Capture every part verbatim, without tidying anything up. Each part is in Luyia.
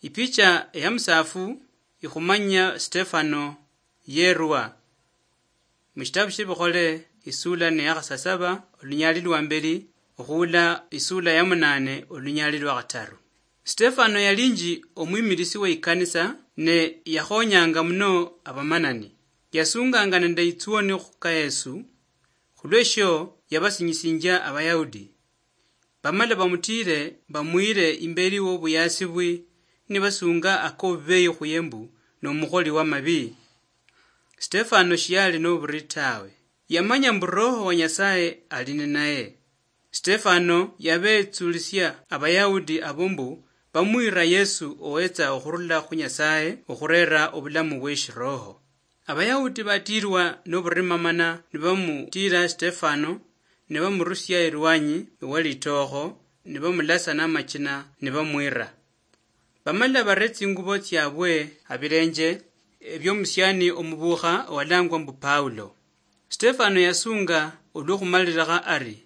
Ipicha eya musafu ikhumanya Stefano yerwa. Mushitabu shie Bikhole, isula ne yakhasasaba, olunyali lwa mbeli, okhuula isula ya munane, olunyali lwa khataru. Stefano yalinji omwimilisi we ikanisa, ne yakhonyanga muno abamanani. Yasunganga nende itsuoni khuka Yesu, khulweshio yabasinyisinjia Abayahudi. Bamala bamutiire, bamwiire imbeli wobuyasibwi, nibasunga akobubeyi khuye mbu nomukholi wamabi. Stefano shiyali noburi tawe. Yamanya mbu Roho wa Nyasaye ali ninaye. Stefano yabetsulisia Abayahudi abo mbu bamwira Yesu owetsa okhurula khu Nyasaye okhurera obulamu bweshiroho. Abayahudi batiirwa noburimamana nibamutiira Stefano, nibamurusia erwanyi ewalitokho, nibamulasa namachina, nibamwira. Bamala bare tsingubo tsiabwe abilenje ebiomusiani omubukha owalangwa mbu Paulo. Stefano yasunga olwokhumalilikha ari,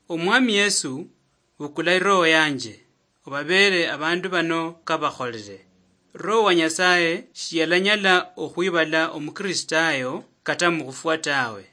"Omwami Yesu, bukula iroho yanje, obabeere abandu bano kabakholere." Roho wa Nyasaye shiyalanyala okhwibala omukristayo kata mukhufwa tawe.